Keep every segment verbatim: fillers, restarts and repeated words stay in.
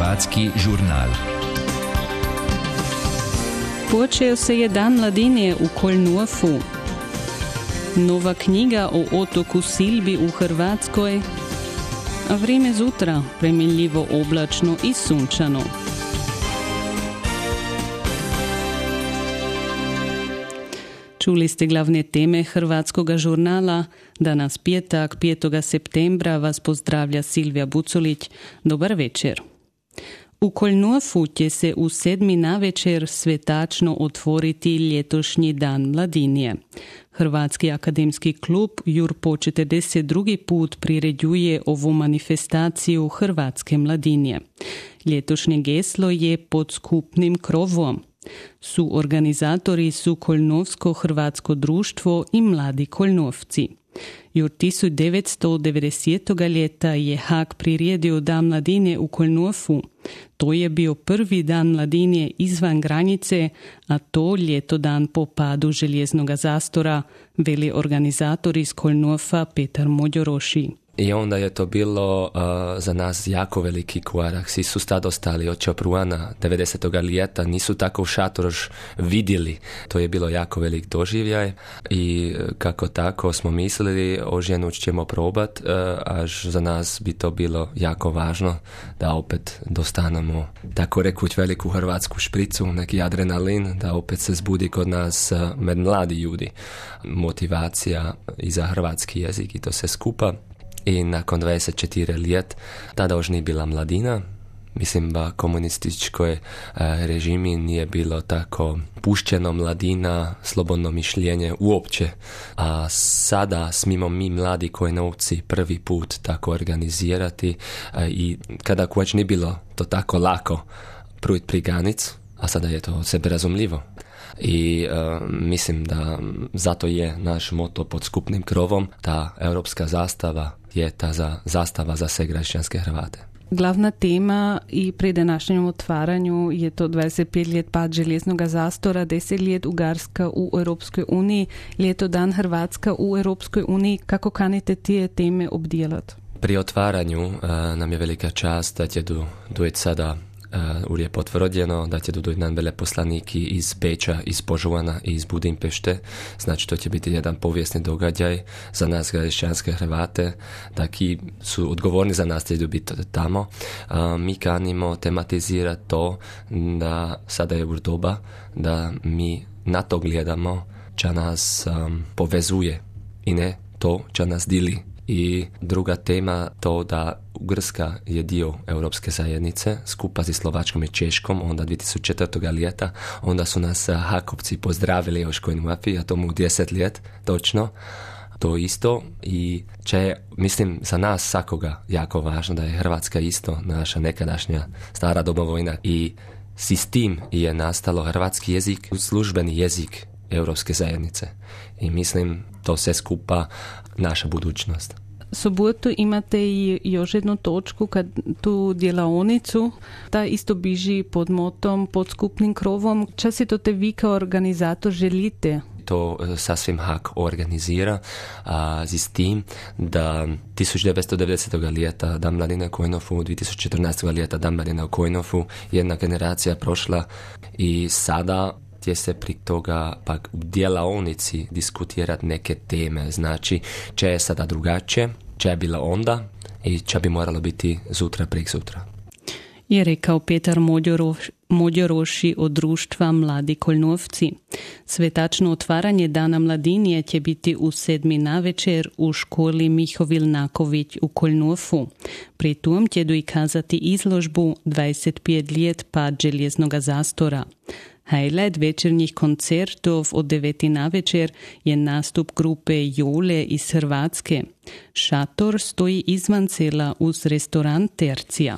Hrvatski žurnal. Počeo se je Dan mladine u Koľnúfu. Nova knjiga o otoku Silbi u Hrvatskoj. A vrijeme zutra premjenljivo oblačno i sunčano. Čuli ste glavne teme Hrvatskoga žurnala. Danas petak, petog septembra, vas pozdravlja Silvija Buculić. Dobar večer. U Koľnúfu će se u sedmi navečer svetačno otvoriti ljetošnji Dan mladinje. Hrvatski akademski klub Jur po četrdeset drugi put priređuje ovu manifestaciju Hrvatske mladinje. Ljetošnje geslo je pod skupnim krovom. Su organizatori su Koľnúfsko hrvatsko društvo i mladi Koľnúfci. Jur tisuć devetsto devedesetog ljeta je Haag priredio Dan mladine u Koľnúfu. To je bio prvi dan mladine izvan granice, a to ljeto dan po padu željeznog zastora, veli organizator iz Koľnúfa Petar Mođoroši. I onda je to bilo uh, za nas jako veliki korak. Svi su tad ostali od Čapruana devedesetog ljeta, nisu tako šatoš vidjeli. To je bilo jako velik doživljaj i kako tako smo mislili, oženuć ćemo probat, uh, až za nas bi to bilo jako važno da opet dostanemo tako rekuć veliku hrvatsku špricu, neki adrenalin, da opet se zbudi kod nas uh, med mladi ljudi motivacija i za hrvatski jezik i to se skupa. I nakon dvadeset četiri let, tada už nije bila mladina. Mislim da komunističkoj e, režimi nije bilo tako pušćeno mladina, slobodno mišljenje uopće. A sada smimo mi mladi Koľnúfci prvi put tako organizirati e, i kada već nije bilo to tako lako prujt pri granic, a sada je to sebe razumljivo. I uh, mislim da zato je naš moto pod skupnim krovom, ta europska zastava je ta za, zastava za sve građanske Hrvate. Glavna tema i pri današnjem otvaranju je to dvadeset pet let pad željeznog zastora, deset let Ugarska u Europskoj uniji, ljeto dan Hrvatska u Europskoj uniji. Kako kanite tije teme obdijelati? Pri otvaranju uh, nam je velika čast da će du, dojeti sada Uh, je potvrđeno da će dodati nam veleposlaniki iz Beča, iz Požuvana i iz Budimpešte. Znači to će biti jedan povijesni događaj za nas građanske Hrvate, da ki su odgovorni za nas će biti tamo. Uh, mi kanimo tematizirati to da sada je u doba da mi na to gledamo čo nas um, povezuje i ne to čo nas dili. I druga tema to da Ugarska je dio Europske zajednice skupa s Slovačkom i Češkom, onda dvije tisuće četvrtog ljeta, onda su nas Hakovci pozdravili još Koľnúfi, a tomu deset let, točno, to isto i če, mislim, za nas svakoga jako važno da je Hrvatska isto naša nekadašnja stara domovina i s tim je nastalo hrvatski jezik, službeni jezik Europske zajednice i mislim to sve skupa naša budućnost. Sobotu imate i još jednu točku, kad tu djelavnicu, ta isto biži pod motom, pod skupnim krovom. Čas si to te vi kao organizator želite? To sasvim Haag organizira a, s tim da tisuć devetsto devedesetog ljeta Dan mladine u Koľnúfu, dvije tisuće četrnaestog ljeta Dan mladine u Koľnúfu, jedna generacija prošla i sada gdje se pri toga pak u djelavnici diskutirati neke teme. Znači, če je sada drugačije, če je bila onda i če bi moralo biti zutra, prik sutra. Je rekao Petar Mođoroš, Mođoroši od društva Mladi Koľnúfci. Svetačno otvaranje Dana mladinje će biti u sedmi navečer u školi Miho Vilnaković u Koľnúfu. Pri tom će dokazati izložbu dvadeset pet let pad željeznog zastora. Highlight večernjih koncertov od deveti navečer je nastup grupe Jole iz Hrvatske. Šator stoji izvan sela uz restoran Tercija.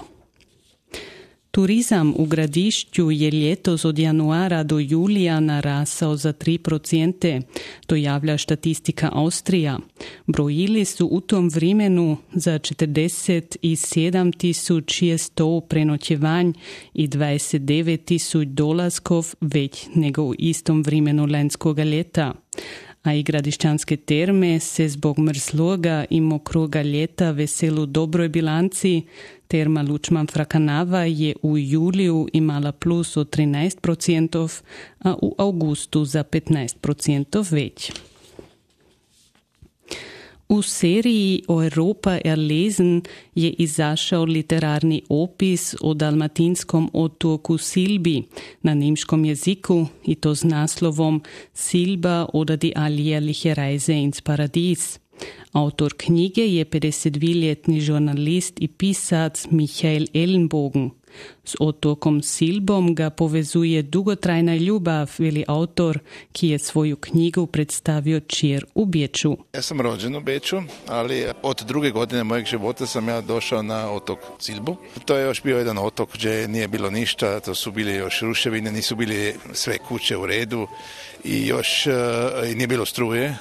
Turizam u Gradišću je ljetos od januara do julija narasao za tri procente, to javlja statistika Austrija. Brojili su u tom vremenu za četrdeset sedam tisuća šesto prenoćevanj i dvadeset devet tisuća dolaskov već nego u istom vremenu lanskoga ljeta. a i Gradišćanske terme se zbog mrzloga i mokroga ljeta veselu dobroj bilanci. Terma Lučman Frakanava je u juliju imala plus od trinaest procentov, a u augustu za petnaest procentov već. U seriji Europa erlesen je izašao literarni opis o dalmatinskom otoku Silbi na nemškom jeziku i to s naslovom Silba oder die alljährliche Reise ins Paradies. Autor knjige je pedesetdviljetni žurnalist i pisac Michael Ellenbogen. S otokom Silbom ga povezuje dugotrajna ljubav, veli autor, ki je svoju knjigu predstavio čir u Beču. Ja sam rođen u Beču, ali od druge godine mojeg života sam ja došao na otok Silbu. To je još bio jedan otok gdje nije bilo ništa, to su bili još ruševine, nisu bili sve kuće u redu i još uh, nije bilo struje.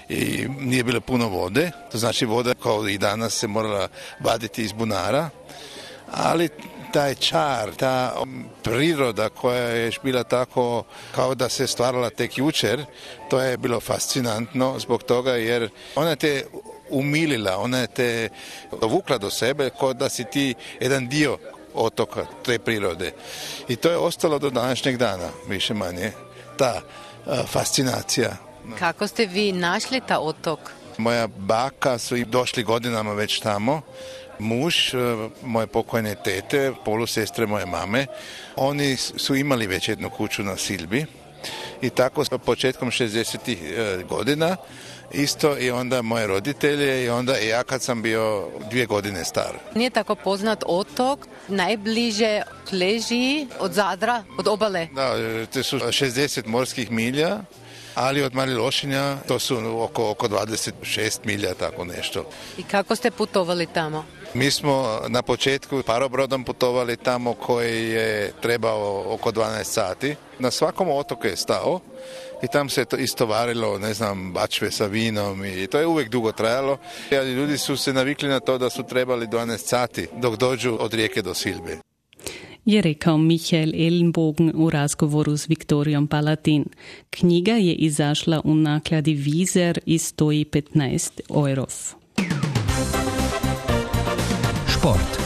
I nije bilo puno vode, to znači voda kao i danas se morala vaditi iz bunara, ali taj čar, ta priroda koja je bila tako kao da se stvarala tek jučer, to je bilo fascinantno zbog toga jer ona te umilila, ona te dovukla do sebe kao da si ti jedan dio otoka, te prirode. I to je ostalo do današnjeg dana, više manje, ta uh, fascinacija. Kako ste vi našli ta otok? Moja baka su i došli godinama već tamo. Muž, moje pokojne tete, polusestre moje mame, oni su imali već jednu kuću na Silbi i tako početkom šezdesetih godina isto i onda moje roditelje i onda i ja kad sam bio dvije godine star. Nije tako poznat otok, najbliže leži od Zadra, od obale. Da, to su šezdeset morskih milja. Ali od Mali Lošinja to su oko, oko dvadeset šest milja, tako nešto. I kako ste putovali tamo? Mi smo na početku parobrodom putovali tamo koji je trebao oko dvanaest sati. Na svakom otoku je stao i tam se to istovarilo, ne znam, bačve sa vinom i to je uvijek dugo trajalo. Ali ljudi su se navikli na to da su trebali dvanaest sati dok dođu od rijeke do Silbe. Je rekao Michael Ellenbogen u razgovoru s Viktorijom Palatin. Knjiga je izašla u nakladi Vizer i stoji petnaest eurov. Šport.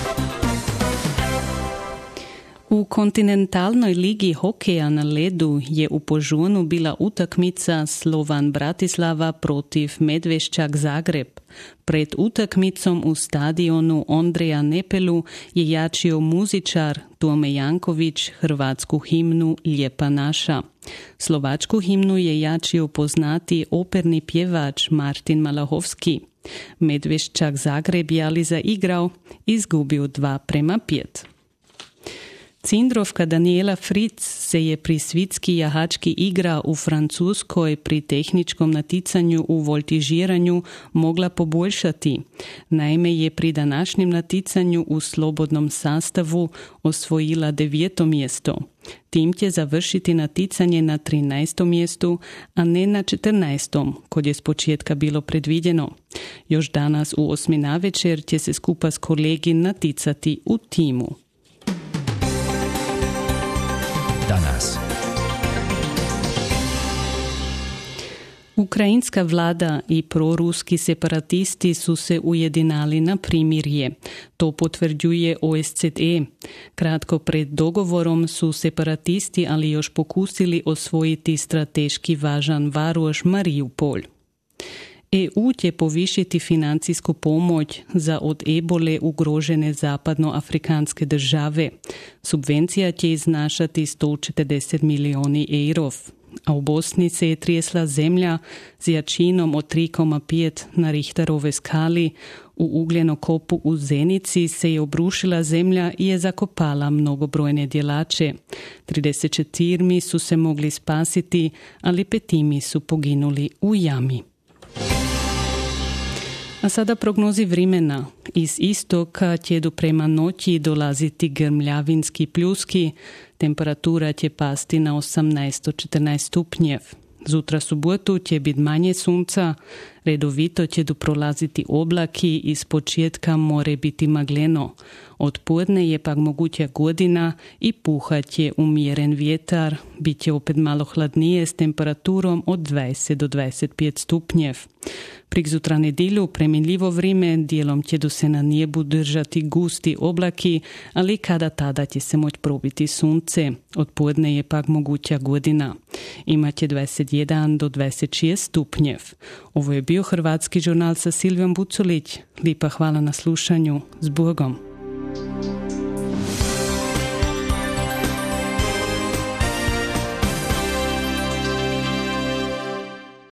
U kontinentalnoj ligi hokeja na ledu je u Požunu bila utakmica Slovan Bratislava protiv Medveščak Zagreb. Pred utakmicom u stadionu Ondreja Nepelu je jačio muzičar Tome Janković hrvatsku himnu Lijepa naša. Slovačku himnu je jačio poznati operni pjevač Martin Malahovski. Medveščak Zagreb je ali zaigrao, izgubio dva prema pet. Cindrovka Daniela Fritz se je pri svitski jahački igra u Francuskoj pri tehničkom naticanju u voltižiranju mogla poboljšati. Naime je pri današnjem naticanju u slobodnom sastavu osvojila deveto mjesto. Tim će završiti naticanje na trinaestom mjestu, a ne na četrnaestom, kod je s početka bilo predviđeno. Još danas u osmi navečer će se skupa s kolegi naticati u timu. Danas. Ukrajinska vlada i proruski separatisti su se ujedinali na primirje. To potvrđuje O S C E. Kratko pred dogovorom su separatisti ali još pokusili osvojiti strateški važan varoš Mariupol. E U će povišiti financijsku pomoć za od ebole ugrožene zapadnoafrikanske države. Subvencija će iznašati sto četrdeset milijoni evrov. A u Bosni se je trijesla zemlja s jačinom od tri zarez pet na Richterove skali. U ugljenokopu u Zenici se je obrušila zemlja i je zakopala mnogobrojne djelače. trideset četiri su se mogli spasiti, ali petimi su poginuli u jami. A sada prognozi vremena. Iz istoka će do prema noći dolaziti grmljavinski pljuski. Temperatura će pasti na osamnaest do četrnaest stupnjev. Zutra subotu će biti manje sunca, redovito će do prolaziti oblaki i s početka more biti magleno. Od podne je pak moguća godina i puhat će umjeren vjetar. Biće opet malo hladnije s temperaturom od dvadeset do dvadeset pet stupnjev. Prik zutra nedjelju premiljivo vrijeme, dijelom će do se na nebu držati gusti oblaki, ali kada tada će se moći probiti sunce. Od podne je pak moguća godina. Imaće dvadeset jedan do dvadeset šest stupnjev. Ovo je bio Hrvatski žurnal sa Silvijom Buculić. Lipa hvala na slušanju. S Bogom.